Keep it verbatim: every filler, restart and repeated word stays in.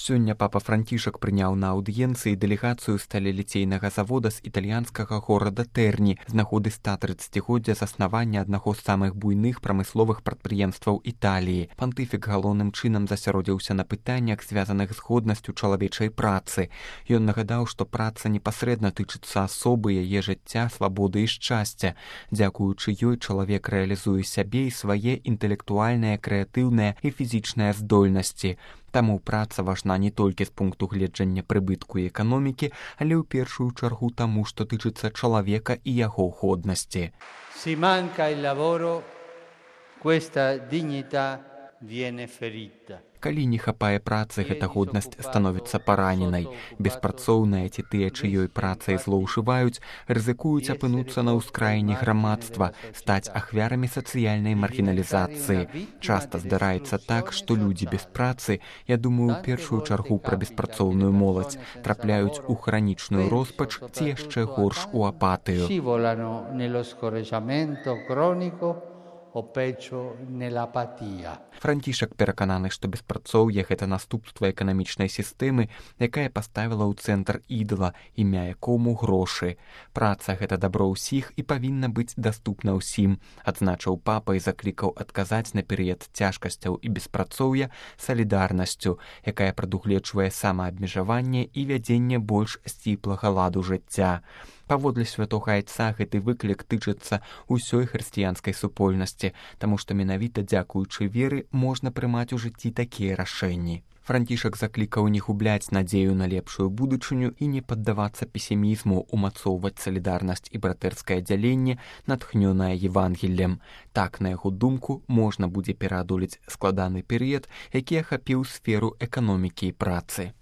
Сёння папа Францішак прыняў на аўдыенцыі дэлегацыю сталеліцейнага завода з італьянскага горада Тэрні з нагоды ста трыццацігоддзя заснавання аднаго з самых буйных прамысловых прадпрыемстваў Італіі. Пантыфік галоўным чынам засяродзіўся на пытаннях, звязаных з годнасцю чалавечай працы. Ён нагадаў, што праца непасрэдна тычыцца асобы, яе жыцця, свабоды і шчасця. Дзякуючы ёй чалавек рэалізуе сябе і свае інтэлектуальныя, крэатыўныя і фізічныя здольнасці. Таму праца важна не толькі з пункту гледжання прыбытку і эканомікі, але ў першую чаргу таму, што тычыцца чалавека і яго годнасці. Si manca il lavoro, questa dignità viene ferita. Калі не хапае працы, гэта годнасць становіцца параненай. Беспрацоўныя ці тыя, чыёй працай злоўжываюць, рызыкуюць апынуцца на ўскраіне грамадства, стаць ахвярамі сацыяльнай маргіналізацыі. Часта здараецца так, што людзі без працы, я думаю, у першую чаргу пра беспрацоўную моладзь, трапляюць у хранічную роспач ці яшчэ горш у апатыю. Францішак перакананы, што беспрацоўе – гэта наступства эканамічнай сістэмы, якая паставіла ў цэнтр ідала, імя якому грошы. Праца – гэта дабро ўсіх і павінна быць даступна ўсім, адзначыў папа і заклікаў адказаць на перыяд цяжкасцяў і беспрацоўя салідарнасцю, якая прадугледжвае самаабмежаванне і вядзенне больш сціплага ладу жыцця. Паводле святога айца гэты выклік тычыцца ўсёй хрысціянскай супольнасці, таму што менавіта дзякуючы веры можна прымаць у жыцці такія рашэнні. Францішак заклікаў не губляць надзею на лепшую будучыню і не паддавацца песімізму, умацоўваць салідарнасць і братэрскае дзяленне, натхнёнае Евангеллем. Так, на яго думку, можна будзе пераадолець складаны перыяд, які ахапіў сферу эканомікі і працы.